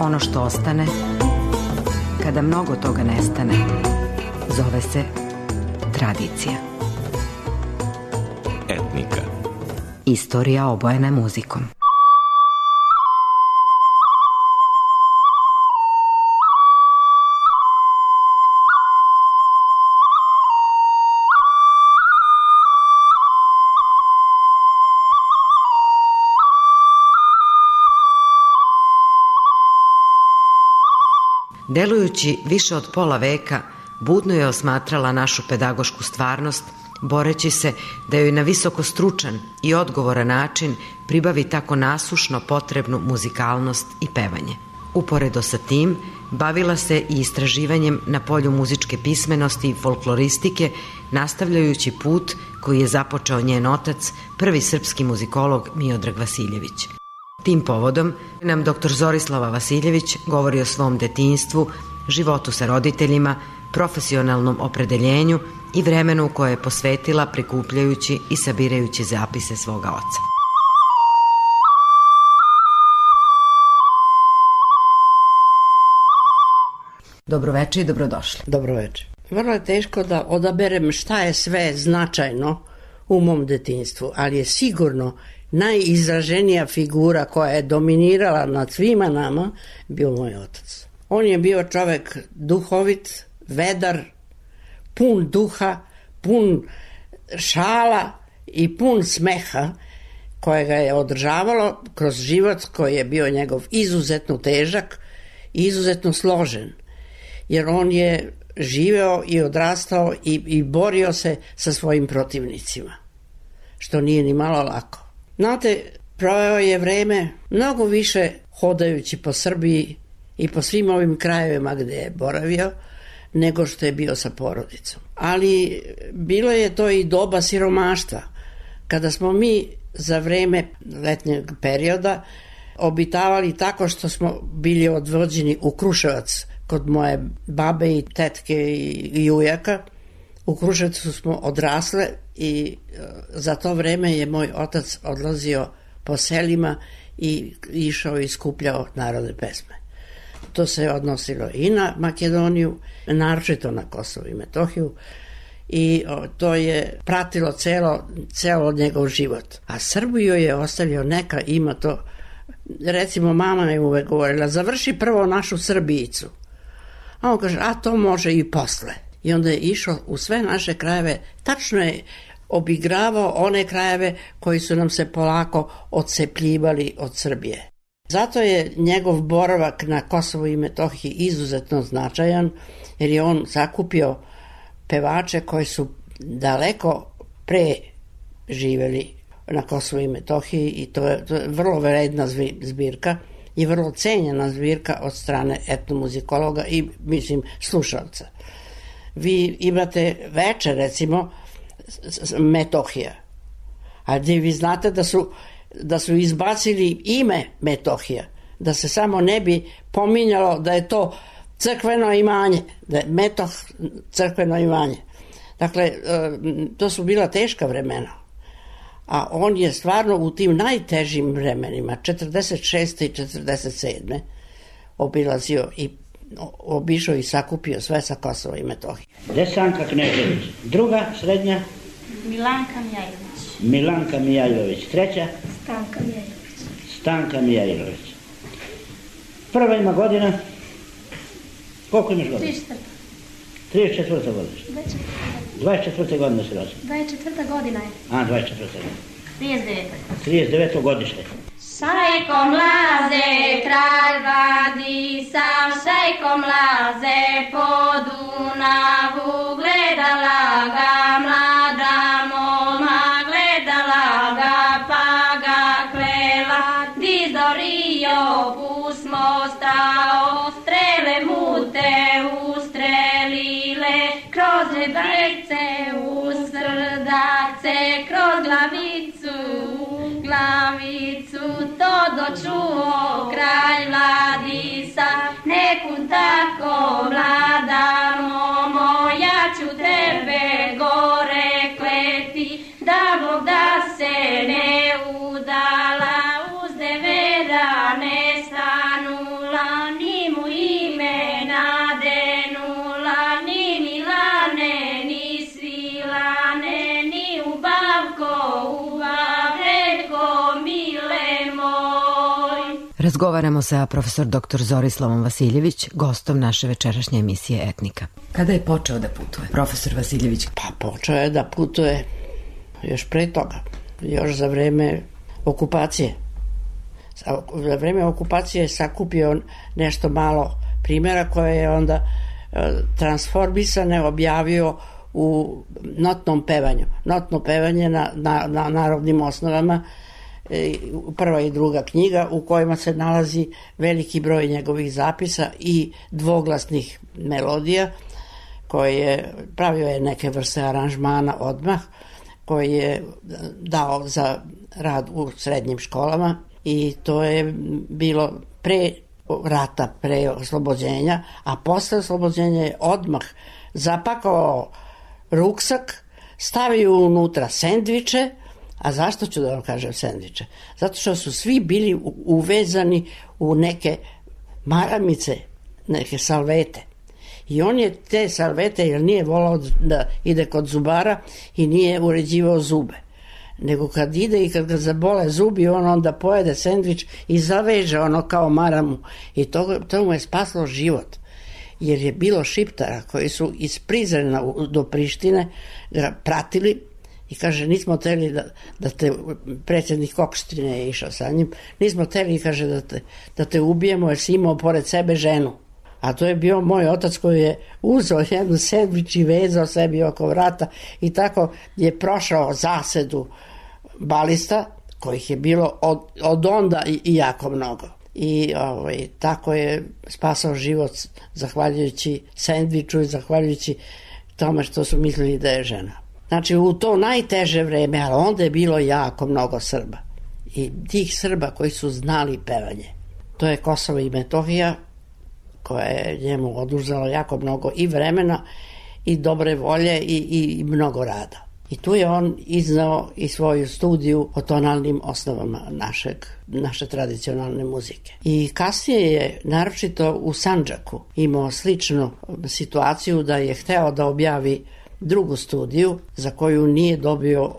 ono što ostane, kada mnogo toga nestane, zove se tradicija. Etnika. Istorija obojena muzikom. Delujući više od pola veka, budno je osmatrala našu pedagošku stvarnost, boreći se da joj na visoko stručan i odgovoran način pribavi tako nasušno potrebnu muzikalnost i pevanje. Uporedo sa tim, bavila se i istraživanjem na polju muzičke pismenosti i folkloristike, nastavljajući put koji je započeo njen otac, prvi srpski muzikolog Miodrag Vasiljević. Tim povodom nam dr. Zorislava Vasiljević govori o svom detinjstvu, životu sa roditeljima, profesionalnom opredeljenju i vremenu koje je posvetila prikupljajući i sabirajući zapise svoga oca. Dobroveče i dobrodošli. Dobroveče. Vrlo je teško da odaberem šta je sve značajno u mom detinjstvu, ali je sigurno najizraženija figura koja je dominirala nad svima nama bio moj otac. On je bio čovek duhovit, vedar, pun duha, pun šala i pun smeha koje ga je održavalo kroz život koji je bio njegov izuzetno težak i izuzetno složen. Jer on je živeo i odrastao i borio se sa svojim protivnicima, što nije ni malo lako. Znate, proveo je vreme mnogo više hodajući po Srbiji i po svim ovim krajevima gde je boravio, nego što je bio sa porodicom. Ali bilo je to i doba siromaštva, kada smo mi za vreme letnjeg perioda obitavali tako što smo bili odvođeni u Kruševac kod moje babe i tetke i ujaka. U Kruševcu smo odrasle i za to vreme je moj otac odlazio po selima i išao i skupljao narodne pesme. To se odnosilo i na Makedoniju, naročito na Kosovo i Metohiju, i to je pratilo celo njegov život. A Srbiju je ostavio, neka ima to, recimo mama je uvek govorila, završi prvo našu Srbijicu. A on kaže, a to može i posle. I onda je išao u sve naše krajeve, tačno je obigravao one krajeve koji su nam se polako odcepljivali od Srbije. Zato je njegov boravak na Kosovu i Metohiji izuzetno značajan, jer je on sakupio pevače koji su daleko pre živeli na Kosovu i Metohiji i to je vrlo vredna zbirka i vrlo cenjena zbirka od strane etnomuzikologa i, mislim, slušalca. Vi imate večer, recimo, Metohija, a gdje vi znate da su izbacili ime Metohija, da se samo ne bi pominjalo da je to crkveno imanje, da je Metoh crkveno imanje. Dakle, to su bila teška vremena, a on je stvarno u tim najtežim vremenima, 46. i 47. obilazio i obišao i sakupio sve sa Kosova i Metohije. Desanka Knežević, druga, srednja? Milanka Mijajlović. Milanka Mijajlović, treća? Stanka Mijajlović. Stanka Mijajlović. Prva ima godina? Koliko imaš godina? 34. 34. godište. 24. godine se rođen. 24. godina je. A, 24. godina. 39. 39. godište. Šajko mlaze, kralj Vladisa, šajko mlaze, po Dunavu, gledala ga mlada moma, gledala ga pa ga klela, dizorio pusmo stao, strele mu te ustrelile, kroz rebajce u srdace, kroz glavicu to dočuo kralj Vladisa, nekud tako mlada momo, ja ću tebe gore kleti, da Bog da se ne udala, uz devera ne stanula, Razgovaramo sa profesor dr. Zorislavom Vasiljević, gostom naše večerašnje emisije Etnika. Kada je počeo da putuje profesor Vasiljević? Pa počeo je da putuje još pre toga, još za vreme okupacije. Za vreme okupacije je sakupio nešto malo primjera koje je onda transformisane objavio u notnom pevanju. Notno pevanje na narodnim osnovama, prva i druga knjiga u kojima se nalazi veliki broj njegovih zapisa i dvoglasnih melodija koje pravio je neke vrste aranžmana odmah, koji je dao za rad u srednjim školama i to je bilo pre rata, pre oslobođenja, a posle oslobođenja je odmah zapakao ruksak, stavio unutra sendviče. A zašto ću da vam kažem sendviče? Zato što su svi bili uvezani u neke maramice, neke salvete. I on je te salvete, jer nije volao da ide kod zubara i nije uređivao zube. Nego kad ide i kad ga zabole zubi, on onda pojede sendvič i zaveže ono kao maramu. I to mu je spaslo život. Jer je bilo Šiptara koji su iz Prizrena do Prištine ga pratili i kaže, nismo teli da te, predsjednik Kokštrine je išao sa njim, nismo teli, kaže, da te ubijemo jer si imao pored sebe ženu. A to je bio moj otac koji je uzeo jednu sendvič i vezao sebi oko vrata i tako je prošao zasedu balista, kojih je bilo od onda i jako mnogo. I tako je spasao život zahvaljujući sendviču i zahvaljujući tome što su mislili da je žena. Znači u to najteže vreme, ali onda je bilo jako mnogo Srba. I tih Srba koji su znali pevanje. To je Kosovo i Metohija, koja je njemu oduzela jako mnogo i vremena i dobre volje i mnogo rada. I tu je on iznao i svoju studiju o tonalnim osnovama naše tradicionalne muzike. I kasnije je, naročito u Sandžaku, imao sličnu situaciju da je hteo da objavi drugu studiju za koju nije dobio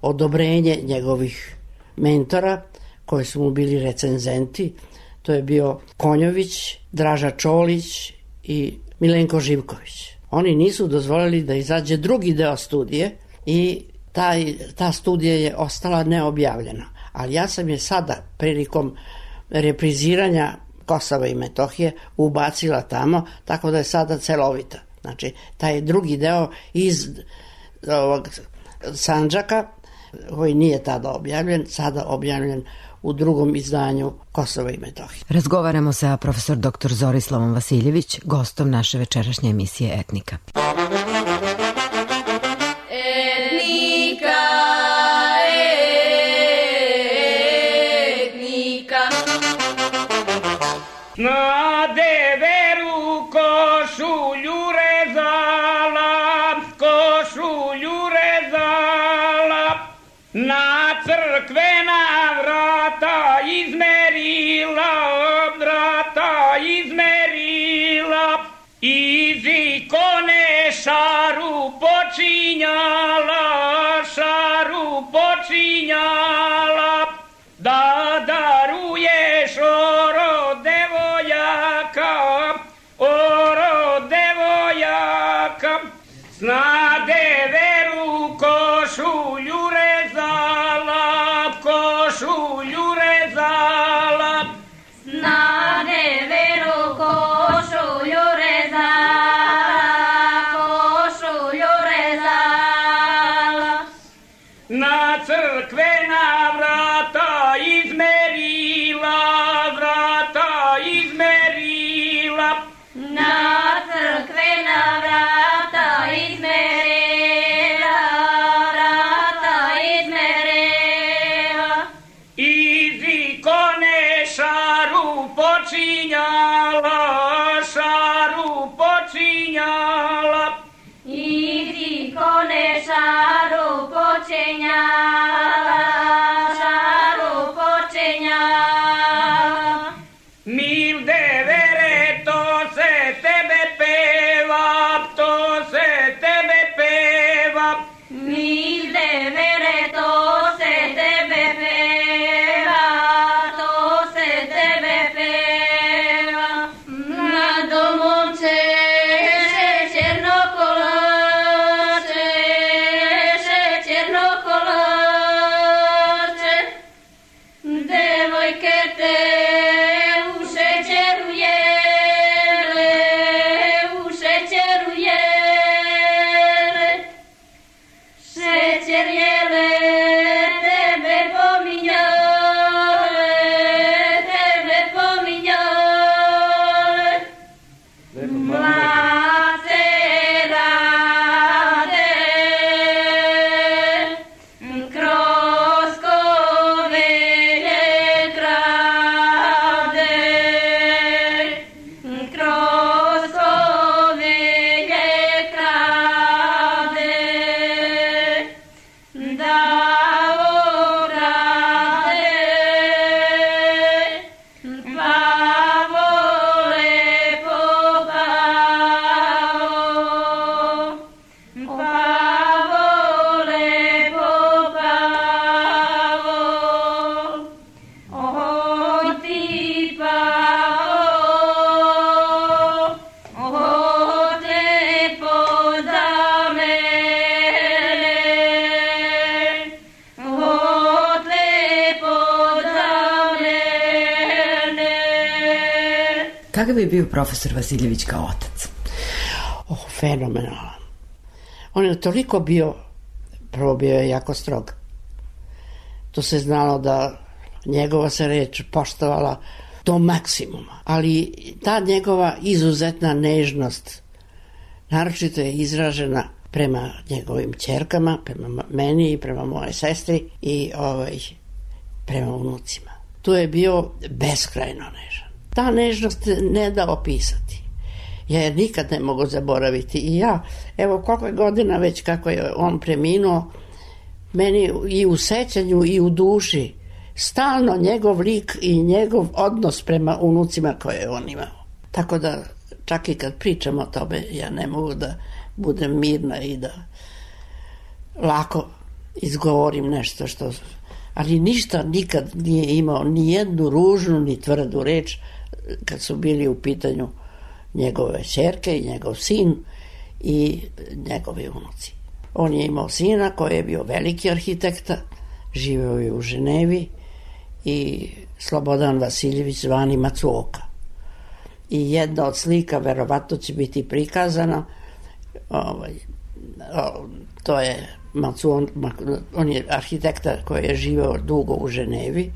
odobrenje njegovih mentora, koji su mu bili recenzenti. To je bio Konjović, Draža Čolić i Milenko Živković. Oni nisu dozvolili da izađe drugi deo studije i ta studija je ostala neobjavljena. Ali ja sam je sada, prilikom repriziranja Kosova i Metohije, ubacila tamo, tako da je sada celovita. Znači, taj drugi deo iz ovog Sandžaka, koji nije tada objavljen, sada objavljen u drugom izdanju Kosova i Metohije. Razgovaramo sa profesor dr. Zorislavom Vasiljević, gostom naše večerašnje emisije Etnika. Na deveru košulju rezala, na crkvena vrata izmerila, iz ikone šaru počinjala, da daruješ oro devojaka, na deveru košulju rezala, na deveru košulju rezala, na crkvena vrata izmerila, na crkvena vrata izmerila, iz ikone šaru počinjala, iz ikone šaru počinjala. Mil devere, to se tebe peva, mil devere, to se tebe peva, djevojke te u šećeru jele, u šećeru jele, šećer jele, tebe pominjale, tebe pominjale, mlade rade, kroz kovelje krade, kroz kovelje krade, da orade, pa vole popao, pa vole popao, oj ti pao, ote podamele, ote podamele. Kakav je bio profesor Vasiljević kao otac? Fenomenalan. On je toliko bio, prvo bio je jako strog. To se znalo da njegova se reč poštovala do maksimuma. Ali ta njegova izuzetna nežnost naročito je izražena prema njegovim ćerkama, prema meni i prema moje sestri i prema unucima. Tu je bio beskrajno nežan. Ta nežnost ne da opisati. Ja je nikad ne mogu zaboraviti. I ja, evo koliko je godina već kako je on preminuo, meni i u sećanju i u duši stalno njegov lik i njegov odnos prema unucima koje je on imao. Tako da čak i kad pričam o tome, ja ne mogu da budem mirna i da lako izgovorim nešto što... Ali ništa nikad nije imao ni jednu ružnu ni tvrdu reč kad su bili u pitanju njegove ćerke i njegov sin i njegovi unuci. On je imao sina koji je bio veliki arhitekta, živeo je u Ženevi i Slobodan Vasiljević zvani Macuoka. I jedna od slika verovatno će biti prikazana, to je on je arhitekta koji je živeo dugo u Ženevi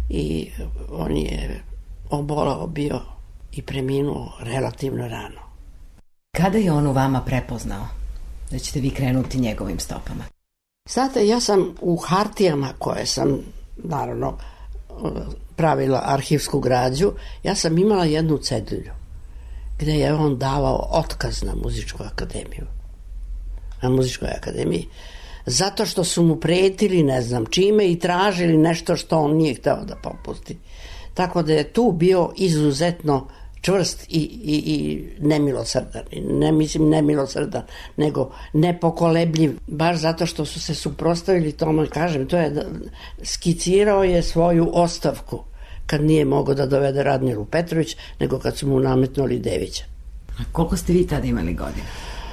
i on je obolao bio i preminuo relativno rano. Kada je on u vama prepoznao da ćete vi krenuti njegovim stopama? Znate, ja sam u hartijama koje sam naravno pravila arhivsku građu, ja sam imala jednu cedulju gde je on davao otkaz na muzičku akademiju. Na muzičkoj akademiji. Zato što su mu pretili ne znam čime i tražili nešto što on nije hteo da popusti. Tako da je tu bio izuzetno čvrst i nemilosrdan. Ne mislim nemilosrdan, nego nepokolebljiv. Baš zato što su se suprotstavili tome, kažem, to je skicirao je svoju ostavku kad nije mogao da dovede Radmilu Petrović, nego kad su mu nametnuli Devića. A koliko ste vi tada imali godina?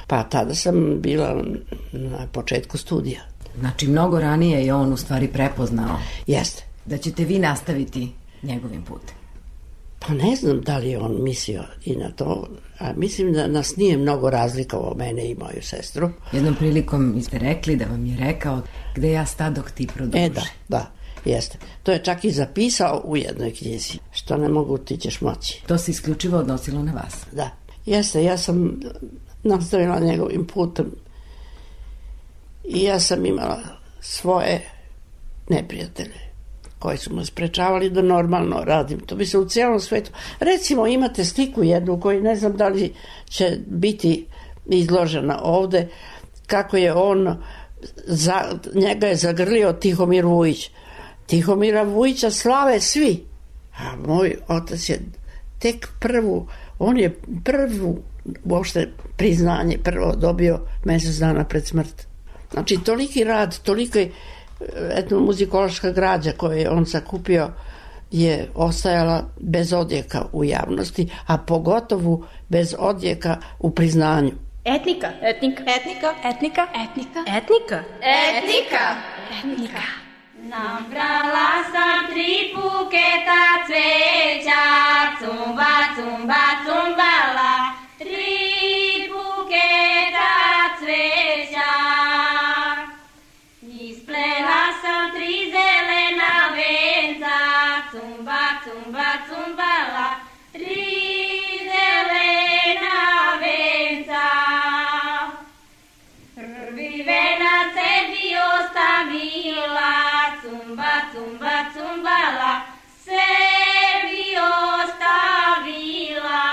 Pa tada sam bila na početku studija. Znači mnogo ranije je on u stvari prepoznao. Jeste. Da ćete vi nastaviti njegovim putem. Pa ne znam da li je on mislio i na to, a mislim da nas nije mnogo razlikovao, mene i moju sestru. Jednom prilikom ste rekli da vam je rekao gde ja stadok ti produži. Da, jeste. To je čak i zapisao u jednoj knjizi. Što ne mogu, ti ćeš moći. To se isključivo odnosilo na vas. Da, jeste, ja sam nastavila njegovim putem i ja sam imala svoje neprijatelje koji su me sprečavali da normalno radim. To bi se u cijelom svetu... Recimo, imate sliku jednu koju ne znam da li će biti izložena ovde, kako je on... njega je zagrlio Tihomir Vujić. Tihomira Vujića slave svi. A moj otac je tek on je prvu uopšte priznanje prvo dobio mesec dana pred smrt. Znači, toliki rad, tolika etnomuzikološka građa koju je on sakupio je ostajala bez odjeka u javnosti, a pogotovo bez odjeka u priznanju. Etnika. Nabrala sam 3 puke cumba, cumba, cumbala, 3 zelena venca. Prvi venac sebi ostavila, cumba, cumba, cumbala, sebi ostavila.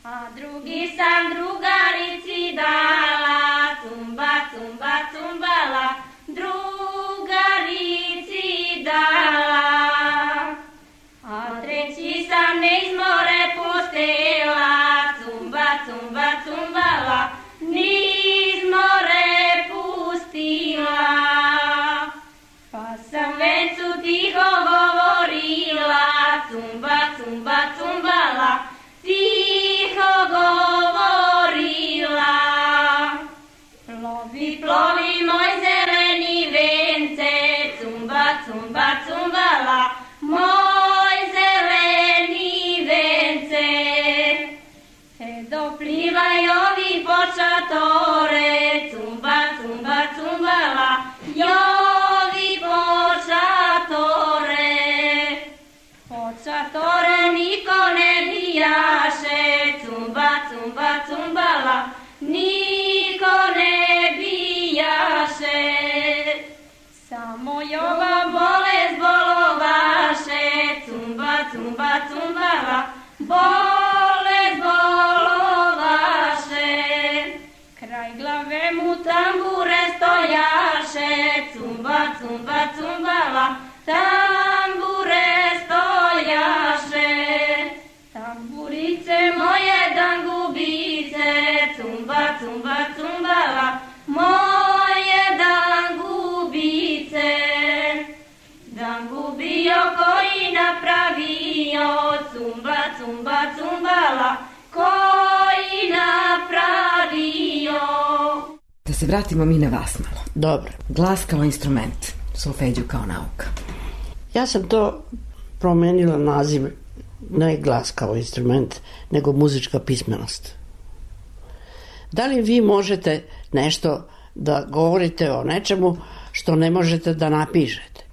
A drugi sam drugarici dala, cumba, cumba, cumbala, drugarici dala. A treći sam niz more pustila, cumba, cumba, cumbala, niz more pustila. Pa sam vencu tiho govorila, cumba, cumba, cumbala, tiho govorila. Plovi, plovi moj zeleni vence, cumba, cumba, cumbala, moj zeleni vence. Doplivaj ovi počatore, cumba, cumba, cumbala, jovi počatore. Počatore niko ne bijaše, cumba, cumba, cumbala, niko ne bijaše. Samo ova bolest bolovaše, cumba, cumba, cumbala, bolest bolovaše. Kraj glave mu tambure stojaše, cumba, cumba, cumbala, tambure stojaše. Tamburice moje dangubice, cumba, cumba, cumbala, moje dangubice. Dangubio koji napravio, cumba, cumba, cumbala, koji napravio. Da se vratimo mi na vas malo. Dobro. Glas kao instrument, solfeđu kao nauka. Ja sam to promenila naziv, ne glas kao instrument, nego muzička pismenost. Da li vi možete nešto da govorite o nečemu što ne možete da napišete?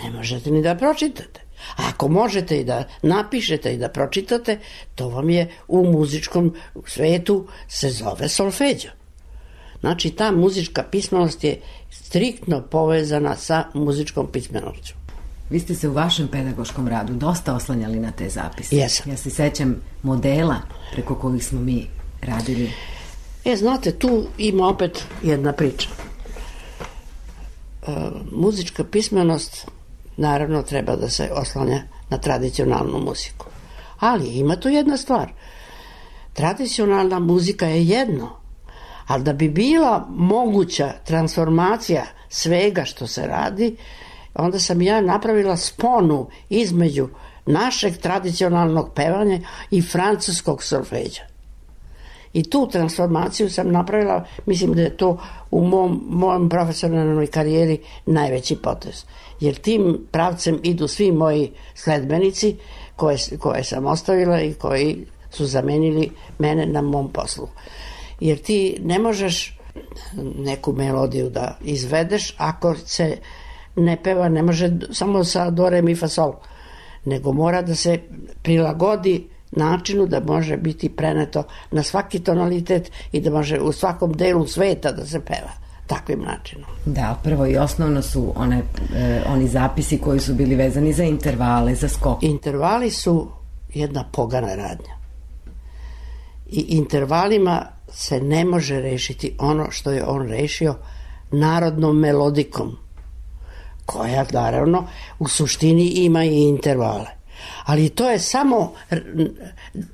Ne možete ni da pročitate. A ako možete i da napišete i da pročitate, to vam je u muzičkom svetu se zove solfeđo. Znači, ta muzička pismenost je striktno povezana sa muzičkom pismenošću. Vi ste se u vašem pedagoškom radu dosta oslanjali na te zapise. Jesam. Ja se sećam modela preko kojih smo mi radili. Znate, tu ima opet jedna priča. Muzička pismenost naravno treba da se oslanja na tradicionalnu muziku. Ali ima tu jedna stvar. Tradicionalna muzika je jedno, ali da bi bila moguća transformacija svega što se radi, onda sam ja napravila sponu između našeg tradicionalnog pevanja i francuskog solfeđa. I tu transformaciju sam napravila, mislim da je to u mojom profesionalnoj karijeri najveći potez. Jer tim pravcem idu svi moji sledbenici koje sam ostavila i koji su zamenili mene na mom poslu. Jer ti ne možeš neku melodiju da izvedeš ako se ne peva, ne može samo sa do, re, mi, fa, sol, nego mora da se prilagodi načinu da može biti preneto na svaki tonalitet i da može u svakom delu sveta da se peva takvim načinom. Da, prvo i osnovno su oni zapisi koji su bili vezani za intervale, za skok. Intervali su jedna pogana radnja. I intervalima se ne može rešiti ono što je on rešio narodnom melodikom, koja naravno u suštini ima i intervale. Ali to je samo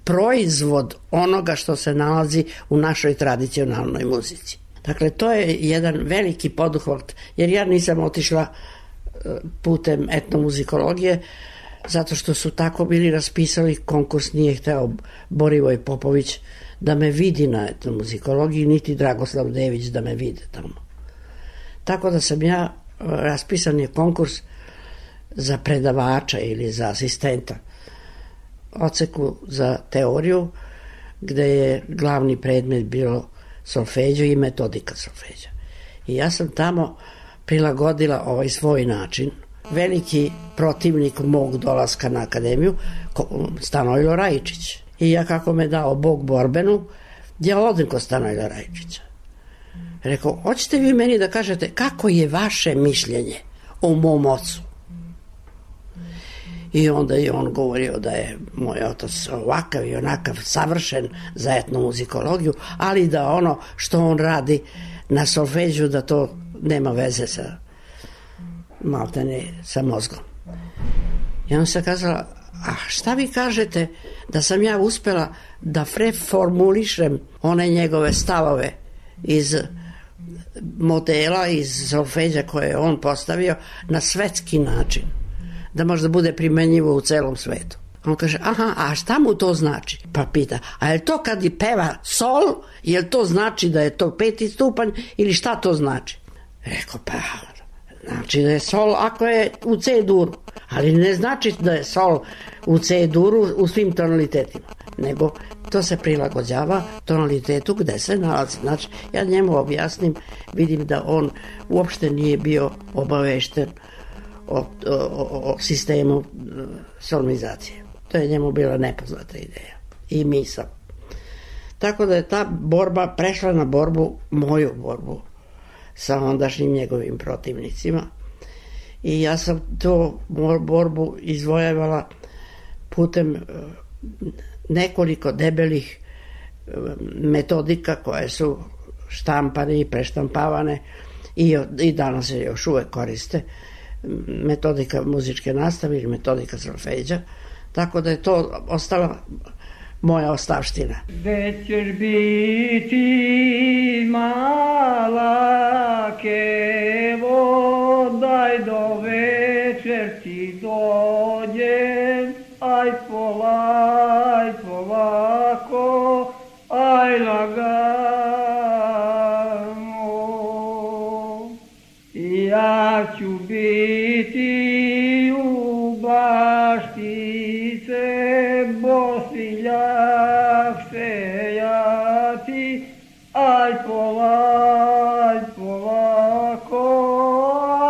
proizvod onoga što se nalazi u našoj tradicionalnoj muzici. Dakle, to je jedan veliki poduhvat, jer ja nisam otišla putem etnomuzikologije, zato što su tako bili raspisali konkurs, nije hteo Borivoj Popović da me vidi na etnomuzikologiji, niti Dragoslav Dević da me vide tamo. Tako da sam ja, raspisan je konkurs za predavača ili za asistenta, odseku za teoriju, gde je glavni predmet bilo solfeđo i metodika solfeđa. I ja sam tamo prilagodila ovaj svoj način veliki protivnik mog dolaska na akademiju, Stanojlo Rajičić. I ja, kako me dao Bog borbenu, ja odem kod Stanojla Rajičića. Rekao, hoćete vi meni da kažete kako je vaše mišljenje o mom ocu? I onda je on govorio da je moj otac ovakav i onakav, savršen za etnomuzikologiju, ali da ono što on radi na solfeđu, da to nema veze sa maltene sa mozgom. I on se kazala, a šta vi kažete da sam ja uspela da preformulišem one njegove stavove iz modela, iz solfeđa koje je on postavio na svetski način, da možda bude primenjivo u celom svetu. On kaže, aha, a šta mu to znači? Pa pita, a je to kad peva sol, je to znači da je to 5. stupanj ili šta to znači? Rekao, pa znači da je sol ako je u C duru, ali ne znači da je sol u C duru u svim tonalitetima, nego to se prilagođava tonalitetu gde se nalazi. Znači, ja njemu objasnim, vidim da on uopšte nije bio obavešten o sistemu solmizacije. To je njemu bila nepoznata ideja i misao. Tako da je ta borba prešla na moju borbu sa ondašnjim njegovim protivnicima i ja sam tu borbu izvojevala putem nekoliko debelih metodika koje su štampane i preštampavane i danas se još uvek koriste, metodika muzičke nastave ili metodika solfeđa, tako da je to ostala moja ostavština. Već ćeš biti mala kevo, daj do večer ti dođem, aj polako, aj lagano. Ja ću biti u baštice, bosiljak sejati, aj polako,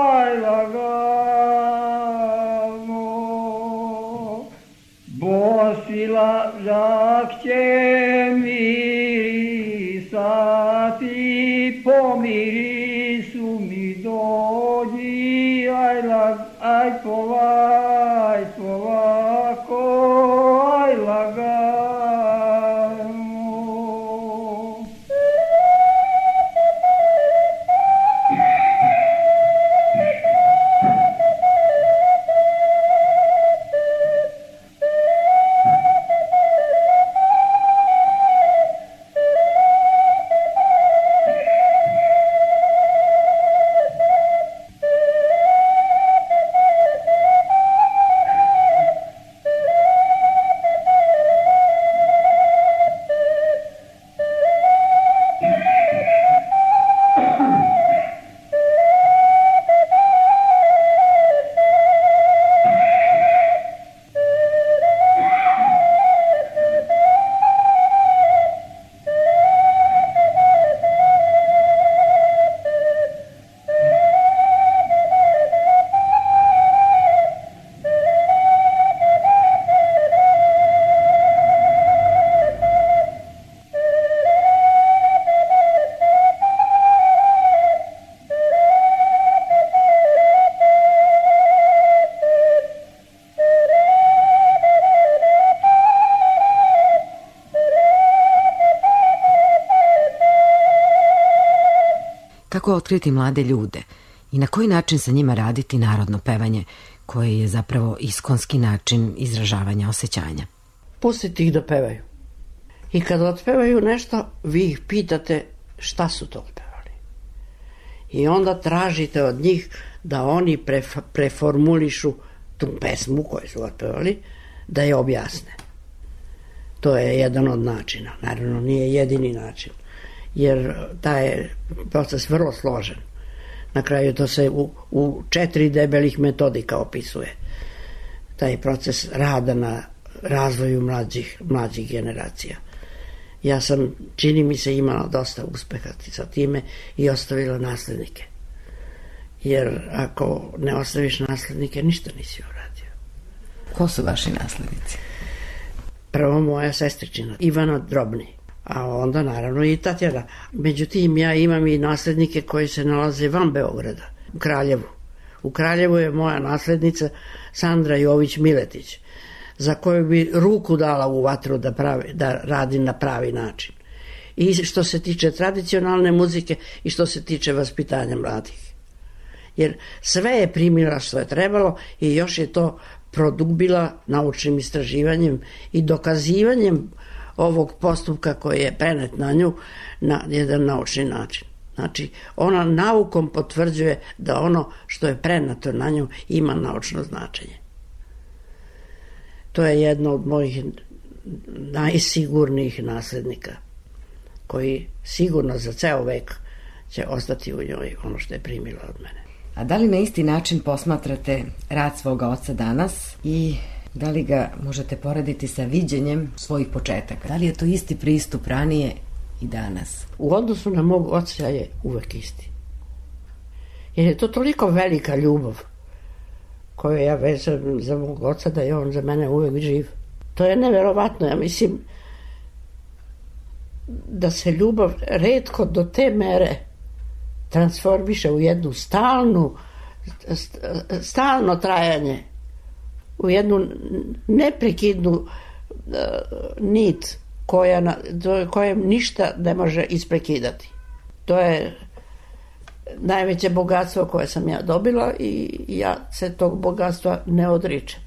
aj lagano. Bosiljak će mirisati, po mirisu mi dođi, aj polako, aj lagano. Kako otkriti mlade ljude i na koji način sa njima raditi narodno pevanje, koje je zapravo iskonski način izražavanja osjećanja? Pustite ih da pevaju. I kad otpevaju nešto, vi ih pitate šta su to otpevali. I onda tražite od njih da oni preformulišu tu pesmu koju su otpevali, da je objasne. To je jedan od načina. Naravno, nije jedini način, jer taj je proces vrlo složen. Na kraju to se u 4 debelih metodika opisuje. Taj proces rada na razvoju mlađih generacija. Ja sam, čini mi se, imala dosta uspeha sa time i ostavila naslednike jer ako ne ostaviš naslednike, ništa nisi uradio. Ko su vaši naslednici? Prvo moja sestričina, Ivana Drobni, a onda naravno i Tatjana. Međutim, ja imam i naslednike koji se nalaze van Beograda, u Kraljevu. U Kraljevu je moja naslednica Sandra Jović-Miletić, za koju bi ruku dala u vatru da radi na pravi način. I što se tiče tradicionalne muzike i što se tiče vaspitanja mladih. Jer sve je primila što je trebalo i još je to produbila naučnim istraživanjem i dokazivanjem ovog postupka koji je prenet na nju na jedan naučni način. Znači, ona naukom potvrđuje da ono što je prenato na nju ima naučno značenje. To je jedno od mojih najsigurnijih naslednika, koji sigurno za ceo vek će ostati u njoj ono što je primila od mene. A da li na isti način posmatrate rad svoga oca danas i da li ga možete porediti sa viđenjem svojih početaka? Da li je to isti pristup ranije i danas? U odnosu na mog oca je uvek isti. Jer je to toliko velika ljubav koju ja vezam za mog oca da je on za mene uvek živ. To je neverovatno. Ja mislim da se ljubav retko do te mere transformiše u jednu stalno trajanje, u jednu neprekidnu nit kojem ništa ne može isprekidati. To je najveće bogatstvo koje sam ja dobila i ja se tog bogatstva ne odričem.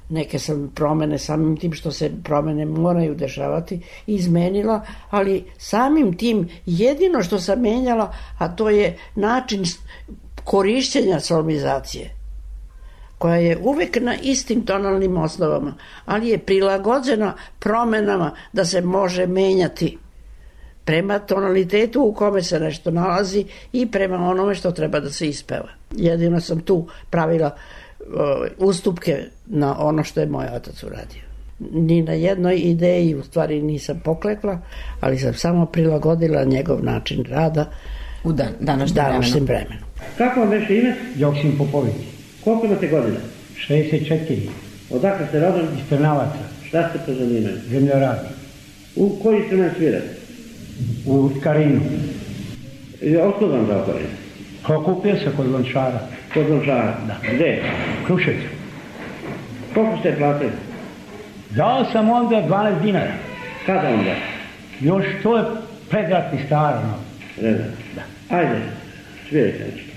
Neke sam promene, samim tim što se promene moraju dešavati, izmenila, ali samim tim jedino što sam menjala, a to je način korišćenja solmizacije, koja je uvek na istim tonalnim osnovama, ali je prilagođena promenama da se može menjati prema tonalitetu u kome se nešto nalazi i prema onome što treba da se ispeva. Jedino sam tu pravila ustupke na ono što je moj otac uradio. Ni na jednoj ideji u stvari nisam poklekla, ali sam samo prilagodila njegov način rada u današnjem vremenu. Kako vam beše ime? Joksim Popović. Koliko imate godina? 64. Odakle ste rodom? Iz Trnavaca. Šta ste po zanimanju? Zemljoradnik. U koji instrument svirate? U Skarinu. Otkud vam dao Karinu? Okupio se kod Lončara. Kod Lončara? Da. Gde? Krušecu. Koliko ste platili? Dao sam onda 12 dinara. Kada onda? Još to je predratni staro. Predratni? Da. Ajde, svirajte nešto.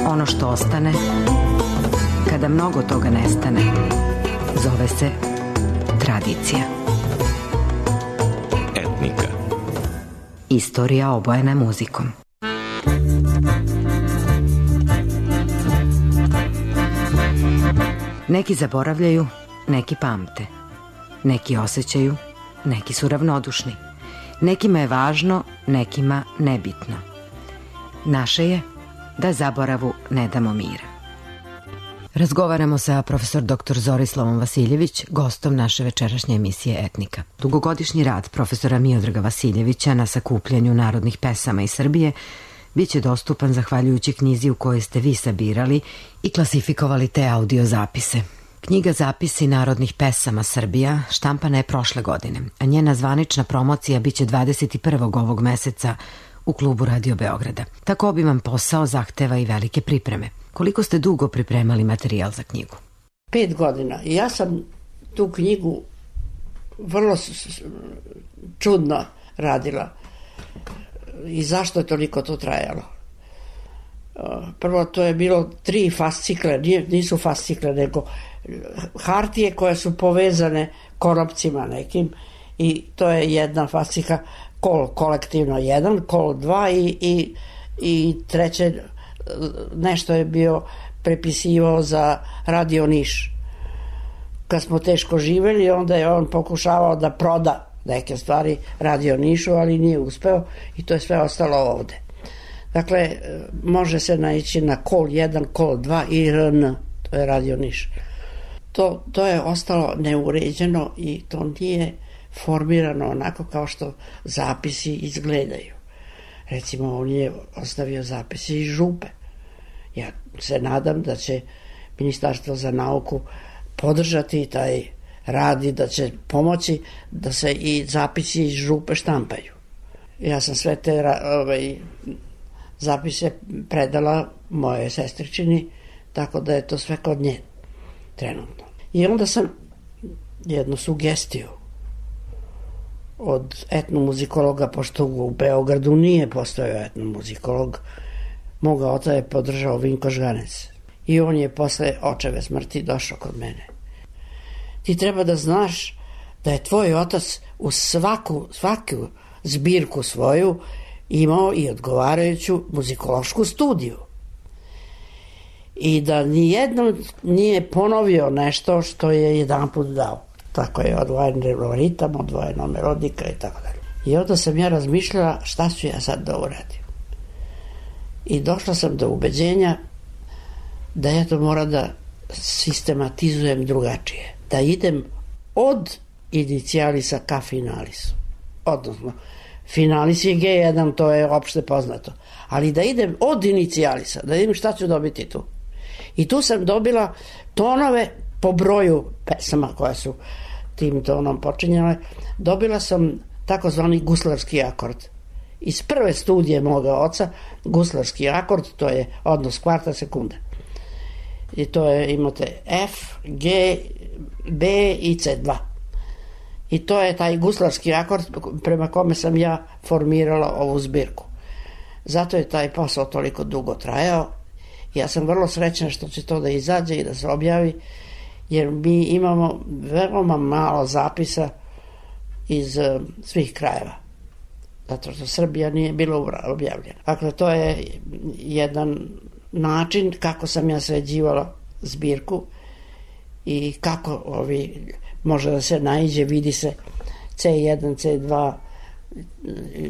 Ono što ostane, kada mnogo toga nestane, zove se tradicija. Etnika. Istorija obojena muzikom. Neki zaboravljaju, neki pamte. Neki osjećaju, neki su ravnodušni. Nekima je važno, nekima nebitno. Naše je da zaboravu ne damo mira. Razgovaramo sa profesor dr. Zorislavom Vasiljević, gostom naše večerašnje emisije Etnika. Dugogodišnji rad profesora Miodraga Vasiljevića na sakupljanju narodnih pesama iz Srbije biće dostupan zahvaljujući knjizi u kojoj ste vi sabirali i klasifikovali te audio zapise. Knjiga Zapisi narodnih pesama Srbija štampana je prošle godine, a njena zvanična promocija biće 21. ovog meseca u klubu Radio Beograda. Tako obiman posao zahteva i velike pripreme. Koliko ste dugo pripremali materijal za knjigu? 5 godina. I ja sam tu knjigu vrlo čudno radila. I zašto je toliko to trajalo? Prvo, to je bilo 3 fascikle, nisu fascikle, nego hartije koje su povezane konopcima nekim, i to je jedna fascika, kol kolektivno 1, kol 2 i treće nešto je bio prepisivao za Radio Niš. Kad smo teško živeli, onda je on pokušavao da proda neke stvari Radio Nišu, ali nije uspeo i to je sve ostalo ovde. Dakle, može se naići na kol 1, kol 2 i RN, to je Radio Niš. To je ostalo neuređeno i to nije formirano onako kao što zapisi izgledaju. Recimo, on je ostavio zapise iz župe. Ja se nadam da će Ministarstvo za nauku podržati taj rad i da će pomoći da se i zapisi iz župe štampaju. Ja sam sve te zapise predala moje sestričini, tako da je to sve kod nje trenutno. I onda sam jednu sugestiju od etnomuzikologa, pošto u Beogradu nije postojao etnomuzikolog, moga oca je podržao Vinko Žganec. I on je posle očeve smrti došao kod mene. Ti treba da znaš da je tvoj otac u svaku zbirku svoju imao i odgovarajuću muzikološku studiju. I da nijednom nije ponovio nešto što je jedanput dao. Tako je odvojen ritam, odvojena melodika i tako dalje. I onda sam ja razmišljala šta ću ja sad da uradim. I došla sam do ubeđenja da ja to mora da sistematizujem drugačije. Da idem od inicijalisa ka finalisu. Odnosno, finalis je G1, to je opšte poznato. Ali da idem od inicijalisa, da vidim šta ću dobiti tu. I tu sam dobila tonove po broju pesama koja su tim tonom počinjale. Dobila sam takozvani guslarski akord. Iz prve studije moga oca, guslarski akord, to je odnos kvarta sekunda. I to je, imate F, G, B i C2. I to je taj guslarski akord prema kome sam ja formirala ovu zbirku. Zato je taj posao toliko dugo trajao. Ja sam vrlo srećna što će to da izađe i da se objavi, jer mi imamo veoma malo zapisa iz svih krajeva. Zato što Srbija nije bila objavljena. Dakle, to je jedan način kako sam ja sređivala zbirku i kako može da se naiđe, vidi se C1, C2,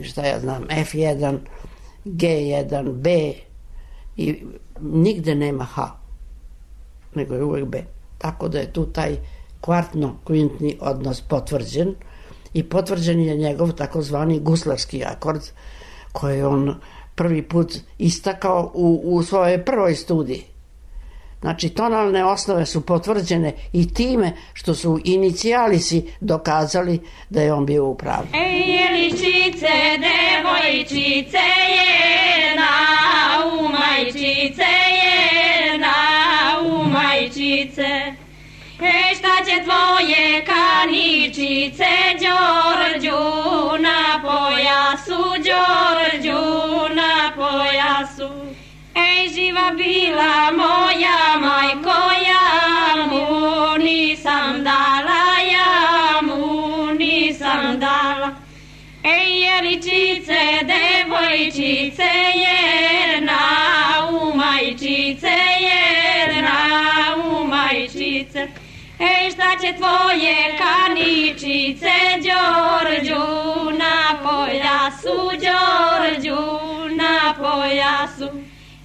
šta ja znam, F1, G1, B i nigde nema H, nego je uvek B. Tako da je tu taj kvartno-kvintni odnos potvrđen i potvrđen je njegov takozvani guslarski akord koji on prvi put istakao u svojoj prvoj studiji. Znači, tonalne osnove su potvrđene i time što su inicijalisi dokazali da je on bio u pravu. Ej, jeličice, devojčice, jedna, u majčice, jedna, u majčice. Ej, šta će tvoje kaničice, Đorđu, na pojasu, Đorđu, na pojasu. Ej, živa bila moja majko, ja mu nisam dala, ja mu nisam dala. Ej, jeličice, devojčice, jedna, u majčice, jedna, u majčice. Ej, šta će tvoje kaničice, Đorđu, na pojasu, Đorđu, na pojasu.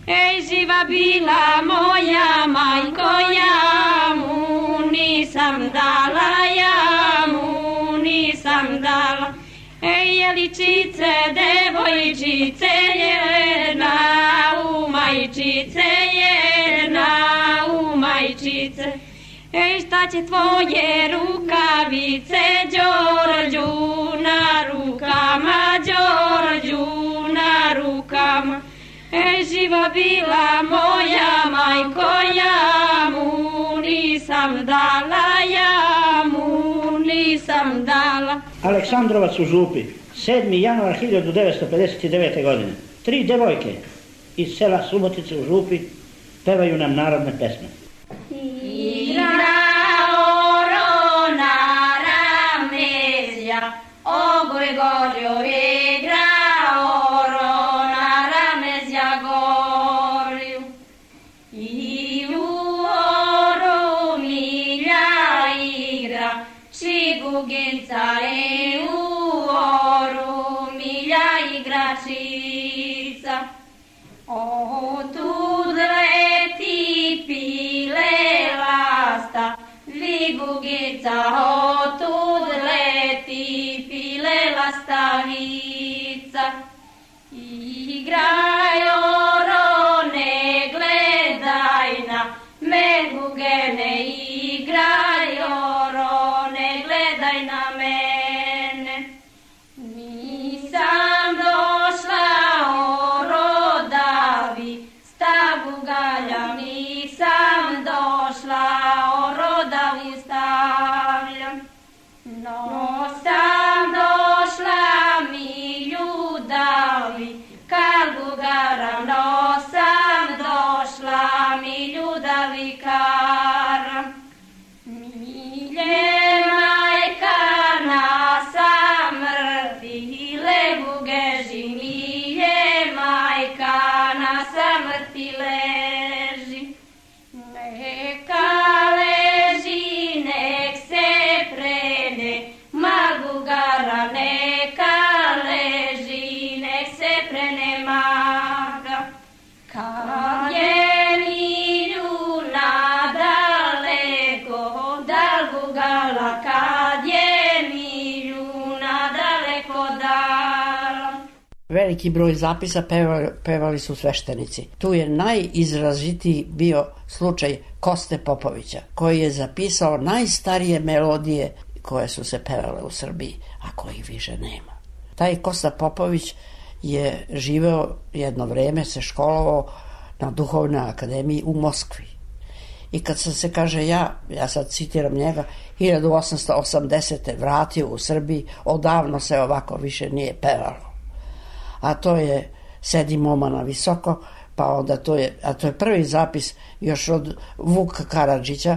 Ej, živa bila moja majko, ja mu nisam dala, ja mu nisam dala. Ej, jeličice, devojčice, jedna, u majčice, jedna, u majčice. Ej, šta će tvoje rukavice, Đorđu, na rukama, Đorđu, na rukama. Ej, živa bila moja majko, ja mu nisam dala, ja mu nisam dala. Aleksandrovac u Župi, 7. januar 1959. godine. 3 devojke iz sela Subotice u Župi pevaju nam narodne pesme. Ogoj gorju igra, orona ramezja gorju. I u oru milja igra, čiguginca i u oru milja igračica. O tud leti pile lasta, vigugica, o tud leti pile lastavica. Igraj orone, gledaj na megugene, igraj orone, gledaj na mene. Nisam došla o rodavi, stavu galjam, nisam došla o rodavi stavljam. No sam došla mi ljudavi, kalbu garam, no sam došla mi ljudavi karam. Milje majka na samrti, lebu geži, milje majka na samrti leži. Neka leži, nek se prene, magugara, neka leži, nek se prene maga. Kad je miljuna daleko, dalgugala, kad je miljuna daleko dala. Veliki broj zapisa pevali su sveštenici. Tu je najizrazitiji bio slučaj Koste Popovića, koji je zapisao najstarije melodije koje su se pevale u Srbiji, a kojih više nema. Taj Kosta Popović je živeo jedno vreme, se školovao na Duhovnoj akademiji u Moskvi. I kad sam se, kaže, ja sad citiram njega, 1880. vratio u Srbiji, odavno se ovako više nije pevalo. A to je Sedi momana visoko, pa onda to je prvi zapis još od Vuka Karadžića,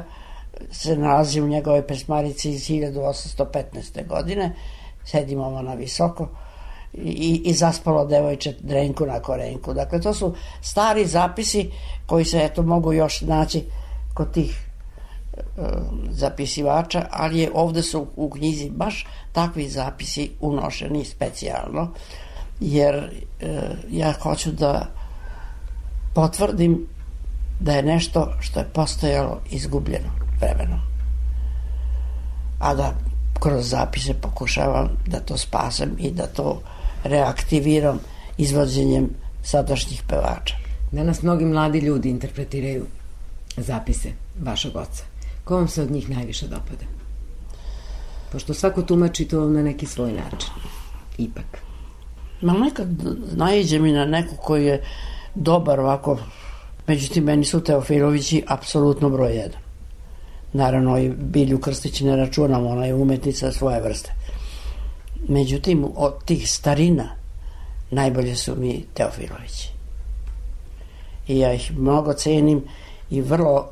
se nalazi u njegove pesmarici iz 1815. godine, Sedi momana visoko, i zaspalo devojče drenku na korenku. Dakle, to su stari zapisi koji se eto mogu još naći kod tih zapisivača, ali je ovde su u knjizi baš takvi zapisi unošeni specijalno, jer ja hoću da potvrdim da je nešto što je postojalo izgubljeno vremenom, a da kroz zapise pokušavam da to spasem i da to reaktiviram izvođenjem sadašnjih pevača. Danas mnogi mladi ljudi interpretiraju zapise vašeg oca. Ko vam se od njih najviše dopada? Pošto svako tumači to na neki svoj način. Ipak. Ma nekad naiđe mi na neku koji je dobar ovako. Međutim, meni su Teofilovići apsolutno broj 1. Naravno, i Bilju Krstić ne računamo, ona je umetnica svoje vrste. Međutim, od tih starina najbolje su mi Teofilovići. I ja ih mnogo cenim i vrlo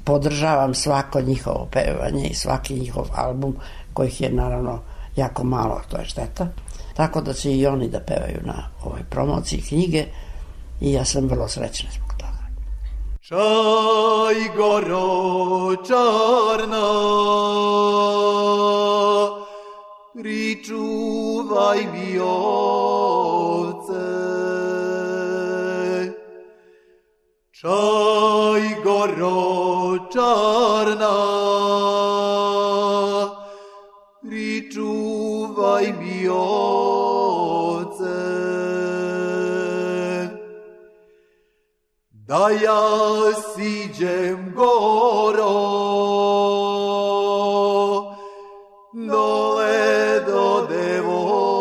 podržavam svako njihovo pevanje i svaki njihov album, kojih je naravno jako malo, to je šteta. Tako da će i oni da pevaju na ovoj promociji knjige i ja sam vrlo srećna zbog toga. Čaj goro čarna, pričuvaj mi ovce. Čaj goro čarna, pričuvaj mi ovce. Da ja siđem goro, dole do devojke.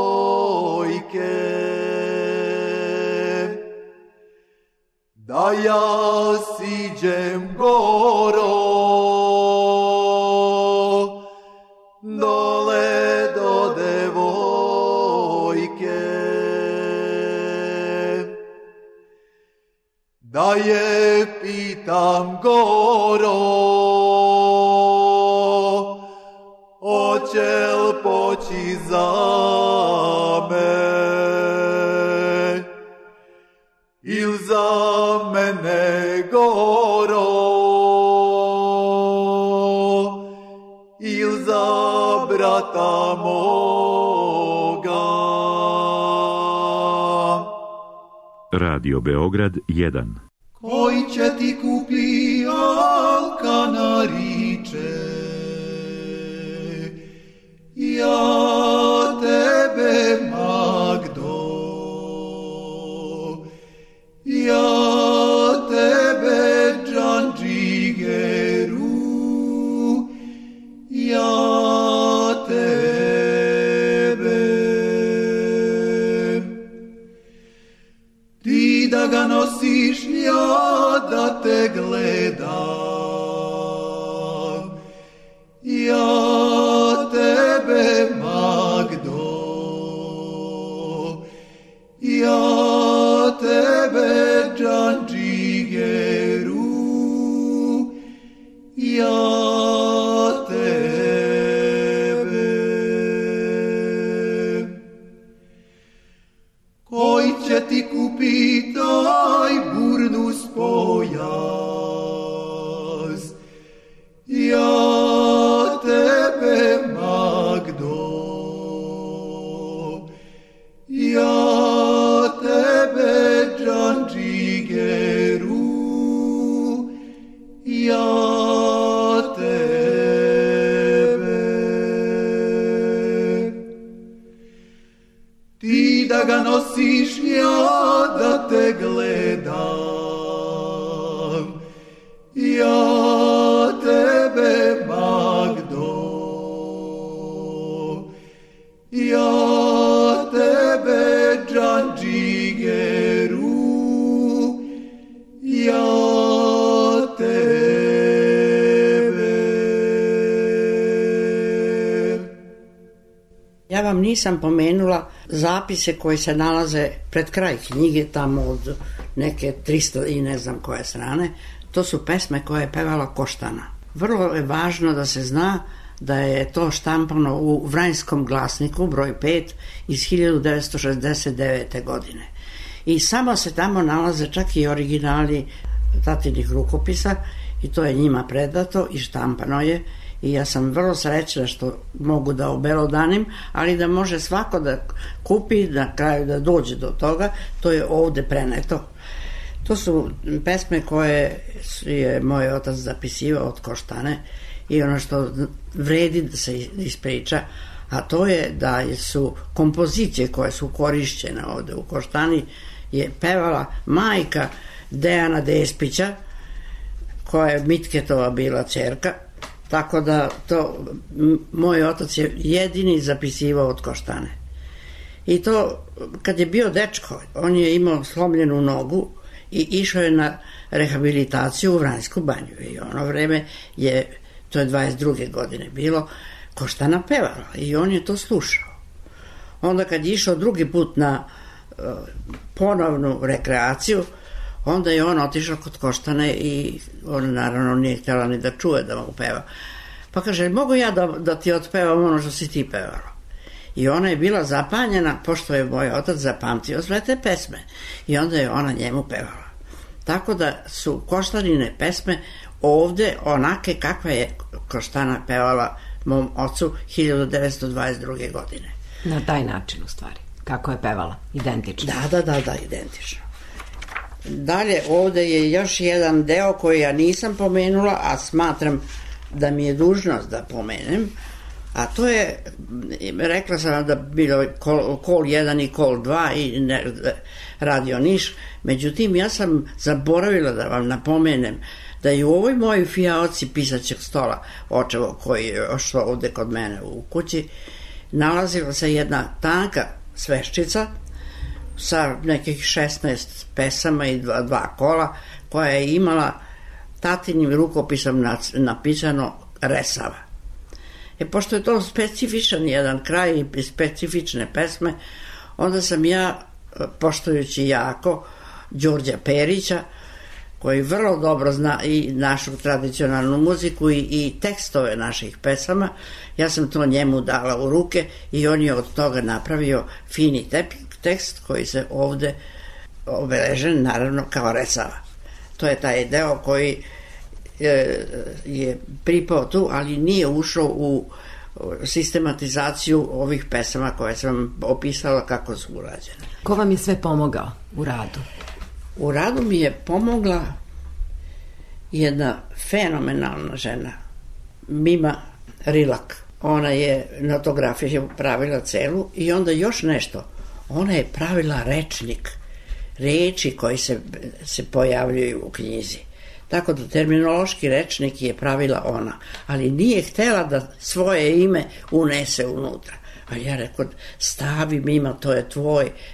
Da ja siđem goro, dole do devojke. goro, oćel poći za me, il za mene goro, il za brata moga. Radio Beograd 1. Koji će ti kupi alka nariče, ja tebe Magdo, ja tebe Džandžigeru, ja tebe. Ti da ga nosiš, ja da te gledam, ja tebe Magdo, ja tebe Džandžigeru, ja tebe. Koji će ti kupi taj burnus pojas, ja tebe Magdo, ja tebe Džandžigeru, ja tebe. Ti da ga nosiš, ja da te gledam, ja tebe Magdo, ja tebe Džandžigeru, ja tebe. Ja vam nisam pomenula zapise koji se nalaze pred kraj knjige, tamo od neke 300 i ne znam koje strane. To su pesme koje je pevala Koštana. Vrlo je važno da se zna da je to štampano u Vranjskom glasniku, broj 5, iz 1969. godine. I samo se tamo nalaze čak i originali tatinih rukopisa i to je njima predato i štampano je. I ja sam vrlo srećna što mogu da obelodanim, ali da može svako da kupi, na kraju da dođe do toga, to je ovde preneto. To su pesme koje je moj otac zapisivao od Koštane i ono što vredi da se ispriča, a to je da su kompozicije koje su korišćene ovde u Koštani je pevala majka Dejana Despića, koja je Mitketova bila ćerka. Tako da to moj otac je jedini zapisivao od Koštane. I to kad je bio dečko, on je imao slomljenu nogu i išao je na rehabilitaciju u Vranjsku banju. I ono vreme je, to je 22. godine bilo, Koštana pevala i on je to slušao. Onda kad je išao drugi put na ponovnu rekreaciju, onda je on otišao kod Koštane i on naravno nije htjela ni da čuje da mu peva. Pa kaže, mogu ja da ti otpevam ono što si ti pevala? I ona je bila zapanjena, pošto je moj otac zapamtio sve te pesme. I onda je ona njemu pevala. Tako da su Koštanine pesme ovde onake kakva je Koštana pevala mom ocu 1922. godine. Na taj način u stvari, kako je pevala, identično. Da, identično. Dalje, ovde je još jedan deo koji ja nisam pomenula, a smatram da mi je dužnost da pomenem, a to je, rekla sam da bilo Kol 1 i Kol 2 i Radio Niš, međutim ja sam zaboravila da vam napomenem da je u ovoj mojoj fijaoci pisaćeg stola, očevo koji je još ovde kod mene u kući, nalazila se jedna tanka sveščica sa nekih 16 pesama i dva kola, koja je imala tatinim rukopisom napisano Resava. Pošto je to specifičan jedan kraj i specifične pesme, onda sam ja, poštujući jako Đorđa Perića, koji vrlo dobro zna i našu tradicionalnu muziku i tekstove naših pesama. Ja sam to njemu dala u ruke i on je od toga napravio fini tekst koji se ovde obeležen naravno kao Resava. To je taj deo koji je pripao tu, ali nije ušao u sistematizaciju ovih pesama koje sam opisala kako su urađene. Ko vam je sve pomogao u radu? U radu mi je pomogla jedna fenomenalna žena, Mima Rilak. Ona je notografiju pravila celu i onda još nešto. Ona je pravila rečnik, reči koji se pojavljuju u knjizi. Tako da terminološki rečnik je pravila ona, ali nije htela da svoje ime unese unutra. A ja rekao, stavi Mima, to je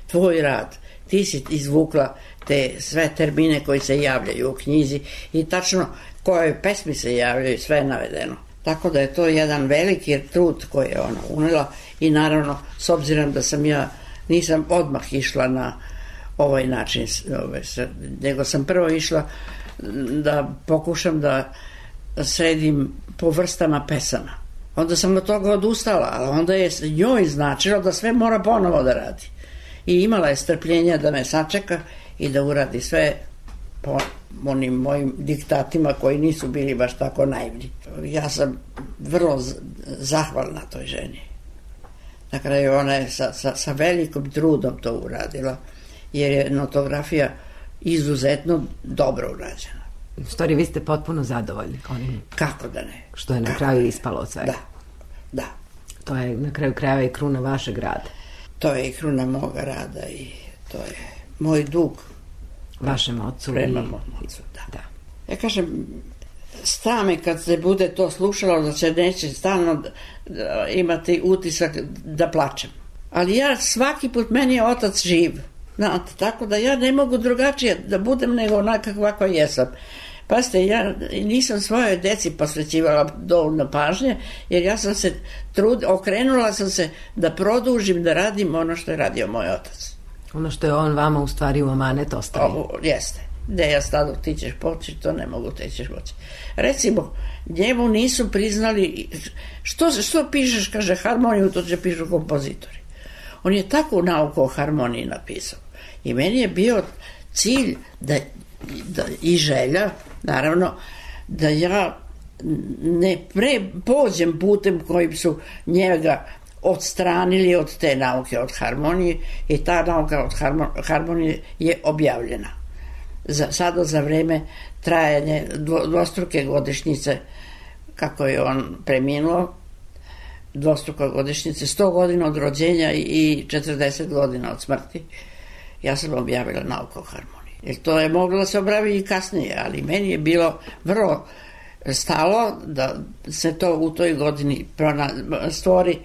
tvoj rad. Ti si izvukla te sve termine koji se javljaju u knjizi i tačno koje pesmi se javljaju, sve je navedeno. Tako da je to jedan veliki trud koji je ona unela i naravno, s obzirom da nisam odmah išla na ovaj način, nego sam prvo išla da pokušam da sredim po vrstama pesama. Onda sam od toga odustala, ali onda je njoj značilo da sve mora ponovo da radi. I imala je strpljenja da me sačeka i da uradi sve po onim mojim diktatima koji nisu bili baš tako naivni. Ja sam vrlo zahvalna toj ženi. Na kraju ona je sa velikom trudom to uradila, jer je notografija izuzetno dobro urađena. U stvari, vi ste potpuno zadovoljni onim. Kako da ne? Što je na kraju ispalo od svega. Da. To je na kraju krajeva i kruna vašeg rada. To je i kruna moga rada i to je moj dug. Vašem ocu. Prema mom ocu, da. Ja kažem, strame kad se bude to slušalo da se neće stalno imati utisak da plačem. Ali ja svaki put, meni je otac živ. Znate, tako da ja ne mogu drugačije da budem nego onaka kako jesam. Pazite, ja nisam svojoj deci posvećivala dovoljno pažnje, jer ja sam se okrenula sam se da produžim, da radim ono što je radio moj otac. Ono što je on vama u stvari u amanet ostavio. Jeste. Gde ja stadu, ti ćeš poći, to ne mogu, ti ćeš poći. Recimo, njemu nisu priznali, što pišeš, kaže, harmoniju, to će pišu kompozitori. On je takvu nauku o harmoniji napisao. I meni je bio cilj i želja, naravno, da ja ne pođem putem kojim su njega odstranili od te nauke od harmonije i ta nauka od harmonije je objavljena. Sada za vreme trajanja dvostruke godišnjice, kako je on preminuo, dvostruka godišnjice, 100 godina od rođenja i 40 godina od smrti, ja sam objavila nauku o harmoniji. Jer to je moglo da se objavi i kasnije, ali meni je bilo vrlo stalo da se to u toj godini stvori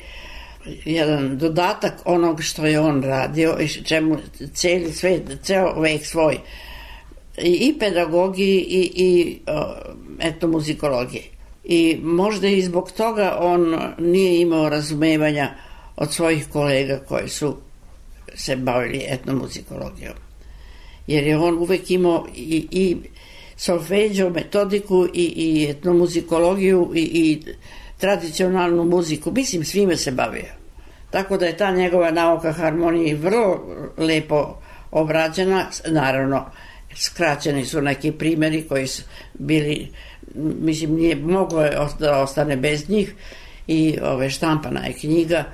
jedan dodatak onog što je on radio i čemu ceo vek svoj i pedagogiji i etnomuzikologiji. I možda i zbog toga on nije imao razumevanja od svojih kolega koji su se bavili etnomuzikologijom. Jer je on uvek imao i solfeđo, metodiku i etnomuzikologiju i tradicionalnu muziku. Mislim, svime se bavio. Tako da je ta njegova nauka harmonije vrlo lepo obrađena. Naravno, skraćeni su neki primjeri koji su bili, mislim, nije moglo da ostane bez njih i štampana je knjiga.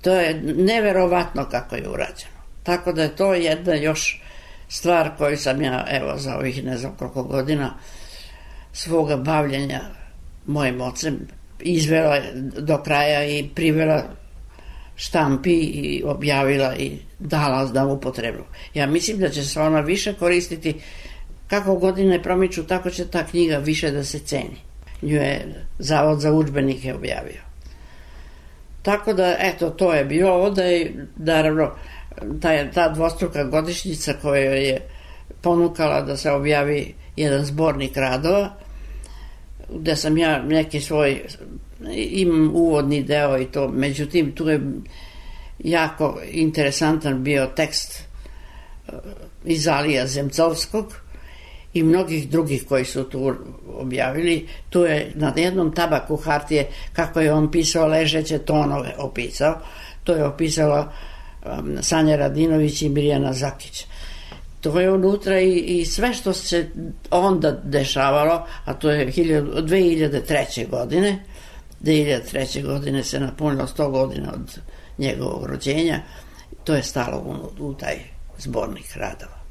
To je neverovatno kako je urađeno. Tako da je to jedna još stvar koju sam ja, evo, za ovih ne znam koliko godina svoga bavljenja mojim ocem izvela do kraja i privela štampi i objavila i dala na upotrebu. Ja mislim da će se ona više koristiti, kako godine promiču, tako će ta knjiga više da se ceni. Nju je Zavod za udžbenike objavio. Tako da, eto, to je bilo onda i naravno ta dvostruka godišnjica koja je ponukala da se objavi jedan zbornik radova, gde sam ja neki svoj, imam uvodni deo i to, međutim tu je jako interesantan bio tekst iz Alija Zemcovskog i mnogih drugih koji su tu objavili. Tu je na jednom tabaku hartije, kako je on pisao, ležeće tonove opisao. To je opisala Sanja Radinović i Mirjana Zakić. To je unutra i sve što se onda dešavalo, a to je 2003. godine. 2003. godine se napunilo 100 godina od njegovog rođenja. To je stalo u taj zbornik radova.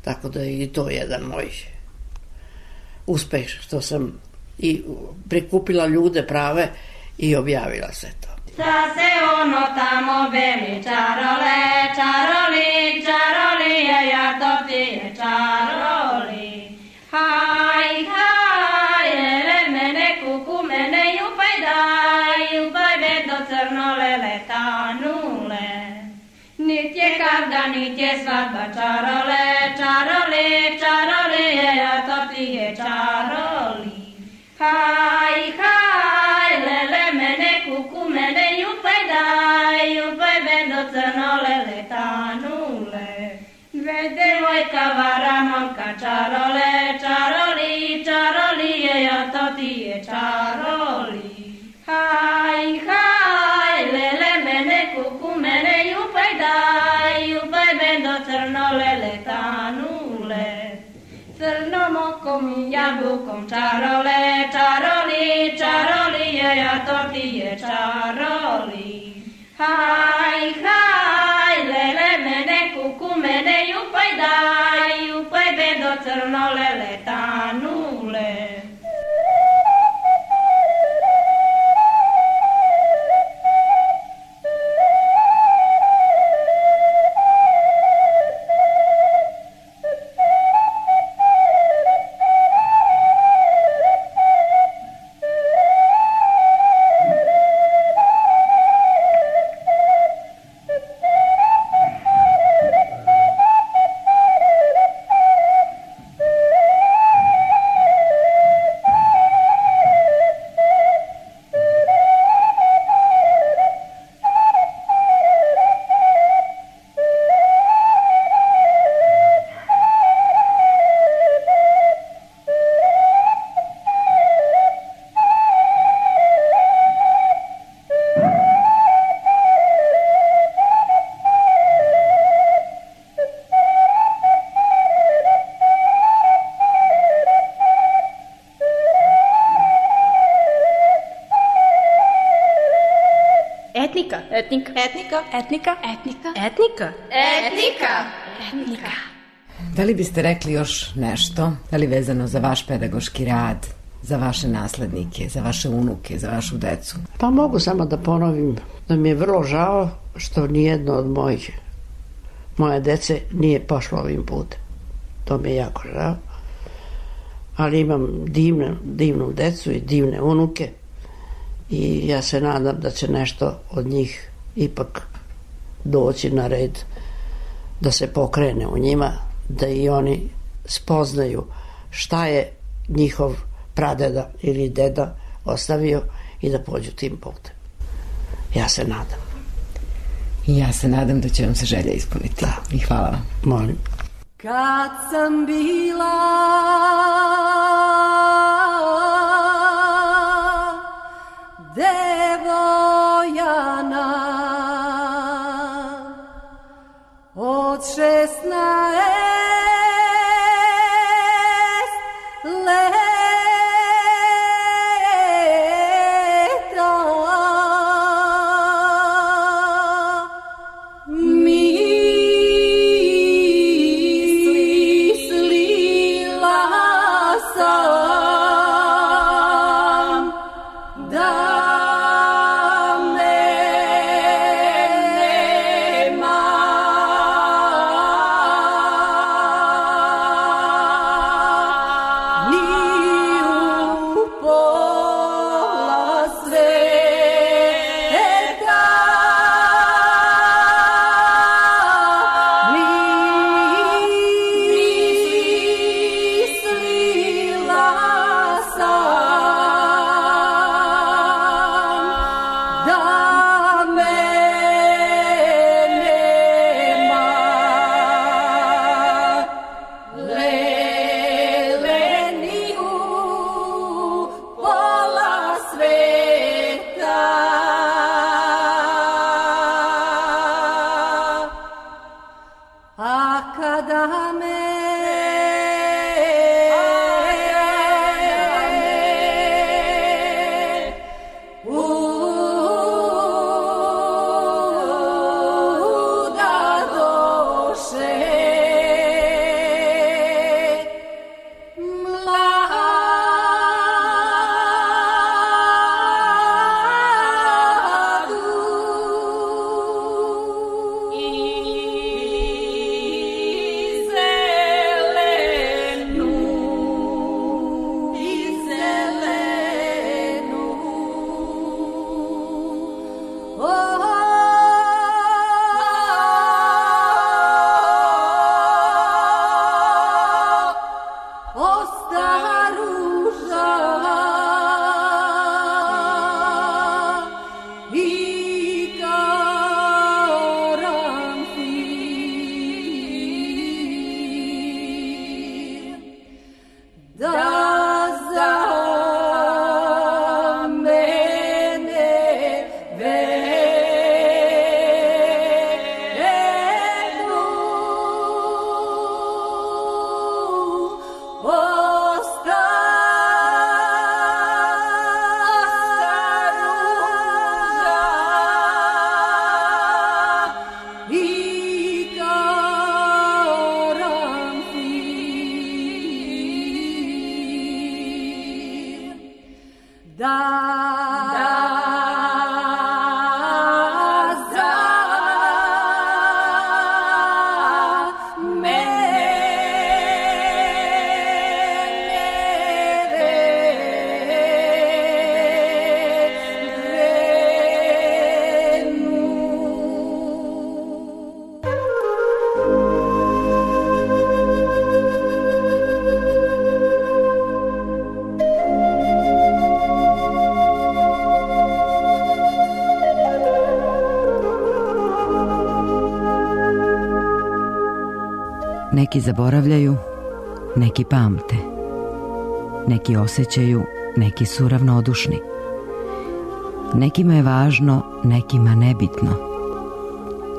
Tako da je i to jedan moj uspeh, što sam i prikupila ljude prave i objavila sve to. Sa se ono tamo beli čarole, čaroli, čaroli, ja to ti je čaroli. Haj, haj, lele mene, kuku mene, jupaj daj, jupaj be do crnolele tanule. Nit je kavga, nit je svadba, čarole, čaroli, čaroli, ja to ti je čaroli. Haj, haj, lele mene, kuku mene, jupaj daj, jupaj be do crnolele tanule. Ve devojka vara momka, čarole, čaroli, čaroli, ja to ti je čaroli. Haj, haj, lele mene, kuku mene, jupaj daj, jupaj be do crnolele tanule. Crnom okom i jabukom, čarole, čaroli, čaroli, ja to ti je čaroli. Haj, haj, lele mene, kuku mene, jupaj daj, jupaj be do crnolele tanule. Etnika. Etnika. Etnika. Etnika. Etnika. Etnika. Etnika. Etnika. Da li biste rekli još nešto, da li vezano za vaš pedagoški rad, za vaše naslednike, za vaše unuke, za vašu decu? Pa mogu samo da ponovim da mi je vrlo žao što nijedno od moje dece nije pošlo ovim putem. To mi je jako žao. Ali imam divnu decu i divne unuke i ja se nadam da će nešto od njih ipak doći na red, da se pokrene u njima, da i oni spoznaju šta je njihov pradeda ili deda ostavio i da pođu tim putem. Ja se nadam. I ja se nadam da će vam se želja ispuniti. Da. I hvala vam. Molim. Kad sam bila devojana od 16 leta, mislila sam Neki zaboravljaju, neki pamte. Neki osjećaju, neki su ravnodušni. Nekima je važno, nekima nebitno.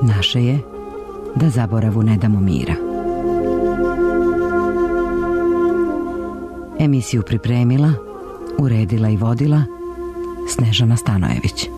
Naše je da zaboravu ne damo mira. Emisiju pripremila, uredila i vodila Snežana Stanojević.